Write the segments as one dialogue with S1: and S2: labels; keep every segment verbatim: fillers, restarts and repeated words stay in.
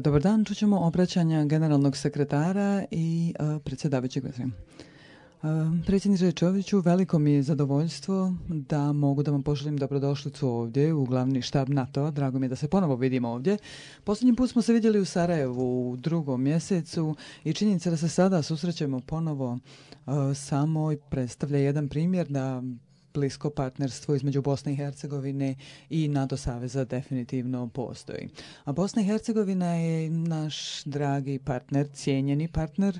S1: Dobar dan, čućemo obraćanja generalnog sekretara i uh, predsjedavajućeg. Uh, predsjedniče Čoviću, veliko mi je zadovoljstvo da mogu da vam poželim dobrodošlicu ovdje u glavni štab NATO-a. Drago mi je da se ponovo vidimo ovdje. Posljednji put smo se vidjeli u Sarajevu u drugom mjesecu i činjenica da se sada susrećemo ponovo uh, samo predstavlja jedan primjer da blisko partnerstvo između Bosne i Hercegovine i NATO saveza definitivno postoji. A Bosna i Hercegovina je naš dragi partner, cijenjeni partner,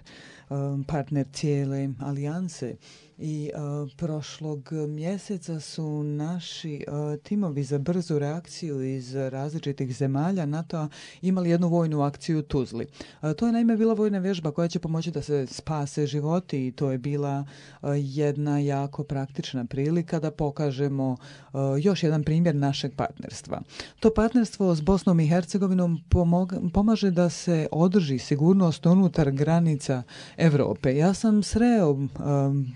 S1: partner cijele alijanse. I uh, prošlog mjeseca su naši uh, timovi za brzu reakciju iz različitih zemalja NATO-a imali jednu vojnu akciju u Tuzli. Uh, to je naime bila vojna vježba koja će pomoći da se spase životi i to je bila uh, jedna jako praktična prilika da pokažemo uh, još jedan primjer našeg partnerstva. To partnerstvo s Bosnom i Hercegovinom pomog- pomaže da se održi sigurnost unutar granica Europe. Ja sam sreo um,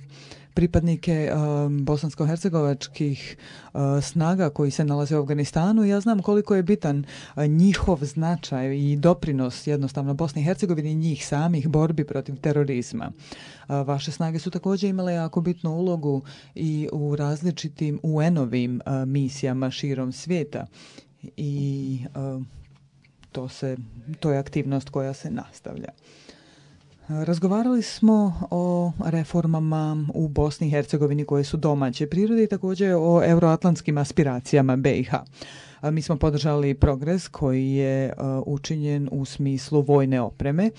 S1: pripadnike um, bosansko-hercegovačkih uh, snaga koji se nalaze u Afganistanu. Ja znam koliko je bitan uh, njihov značaj i doprinos jednostavno Bosni i Hercegovini i njih samih borbi protiv terorizma. Uh, vaše snage su također imale jako bitnu ulogu i u različitim U N-ovim uh, misijama širom svijeta i uh, to, se, to je aktivnost koja se nastavlja. Razgovarali smo o reformama u Bosni i Hercegovini koje su domaće prirode i također o euroatlantskim aspiracijama B i H. Mi smo podržali progres koji je uh, učinjen u smislu vojne opreme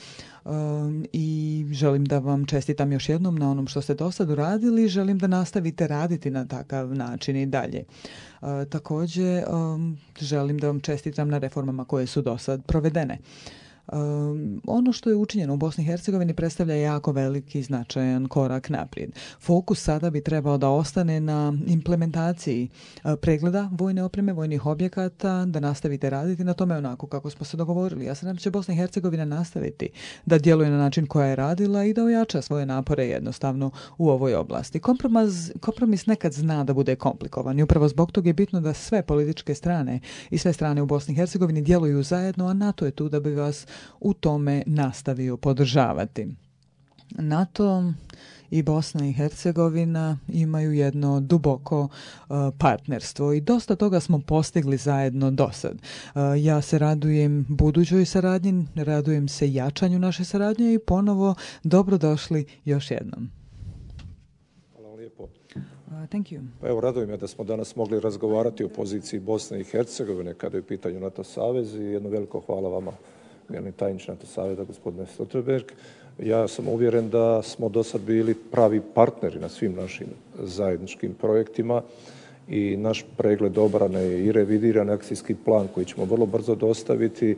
S1: um, i želim da vam čestitam još jednom na onom što ste do sad uradili. Želim da nastavite raditi na takav način i dalje. Uh, također um, želim da vam čestitam na reformama koje su do sad provedene. Um, ono što je učinjeno u Bosni i Hercegovini predstavlja jako veliki značajan korak naprijed. Fokus sada bi trebao da ostane na implementaciji uh, pregleda vojne opreme, vojnih objekata, da nastavite raditi na tome onako kako smo se dogovorili. Ja se nadam da će Bosna i Hercegovina nastaviti da djeluje na način koja je radila i da ojača svoje napore jednostavno u ovoj oblasti. Kompromis, kompromis nekad zna da bude komplikovan i upravo zbog toga je bitno da sve političke strane i sve strane u Bosni i Hercegovini djeluju zajedno, a NATO je tu da bi vas u tome nastavio podržavati. NATO i Bosna i Hercegovina imaju jedno duboko uh, partnerstvo i dosta toga smo postigli zajedno do sad. Uh, ja se radujem budućoj saradnji, radujem se jačanju naše saradnje i ponovo dobrodošli još jednom.
S2: Hvala lijepo.
S1: Uh, thank you.
S2: Pa evo, radujem me da smo danas mogli razgovarati o poziciji Bosne i Hercegovine kada je u pitanju NATO savez i jedno veliko hvala vama, generalni tajniče NATO saveza, gospodine Stoltenberg. Ja sam uvjeren da smo do sad bili pravi partneri na svim našim zajedničkim projektima i naš pregled obrane i revidiran akcijski plan koji ćemo vrlo brzo dostaviti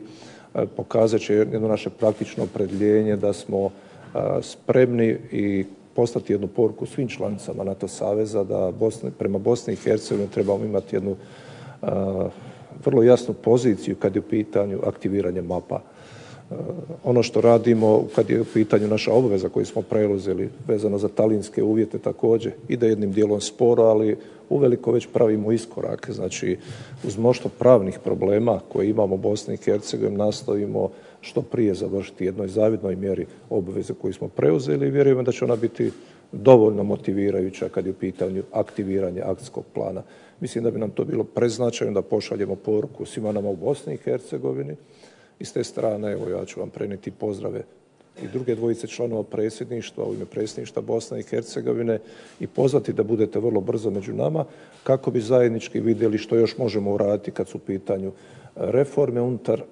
S2: pokazat će jedno naše praktično opredjeljenje da smo spremni i poslati jednu poruku svim članicama NATO saveza da Bosne, prema Bosni i Hercegovini trebamo imati jednu uh, vrlo jasnu poziciju kad je u pitanju aktiviranje mapa. Uh, ono što radimo kad je u pitanju naša obveza koju smo preuzeli vezano za talinske uvjete također ide jednim dijelom sporo, ali uveliko već pravimo iskorak. Znači, uz mnoštvo pravnih problema koje imamo u Bosni i Hercegovini nastavimo što prije završiti jednoj zavidnoj mjeri obveze koju smo preuzeli i vjerujemo da će ona biti dovoljno motivirajuća kad je u pitanju aktiviranje akcijskog plana. Mislim da bi nam to bilo preznačajno da pošaljemo poruku svima nama u Bosni i Hercegovini i s te strane, evo ja ću vam prenijeti pozdrave i druge dvojice članova predsjedništva u ime predsjedništva Bosne i Hercegovine i pozvati da budete vrlo brzo među nama kako bi zajednički vidjeli što još možemo uraditi kad su u pitanju reforme unutar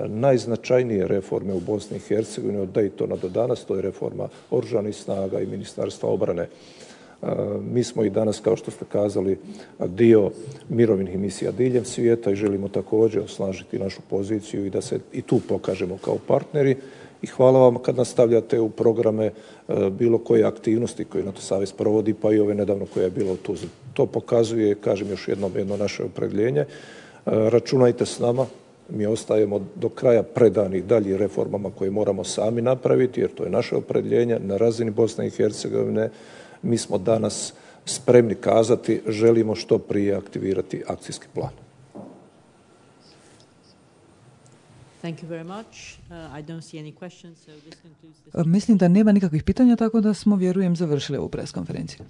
S2: najznačajnije reforme u Bosni i Hercegovini od Daytona do danas, to je reforma oružanih snaga i Ministarstva obrane. Mi smo i danas, kao što ste kazali, dio mirovnih misija diljem svijeta i želimo također osnažiti našu poziciju i da se i tu pokažemo kao partneri. I hvala vam kad nastavljate u programe bilo koje aktivnosti koje NATO savez provodi, pa i ove nedavno koja je bila u Tuzli. To pokazuje, kažem još jednom, jedno naše opredjeljenje. Računajte s nama. Mi ostajemo do kraja predani dalje reformama koje moramo sami napraviti, jer to je naše opredjeljenje na razini Bosne i Hercegovine. Mi smo danas spremni kazati želimo što prije aktivirati akcijski plan.
S3: Thank you very much. Uh, I don't see any questions, so this concludes this.
S1: Mislim da nema nikakvih pitanja, tako da smo, vjerujem, završili ovu preskonferenciju.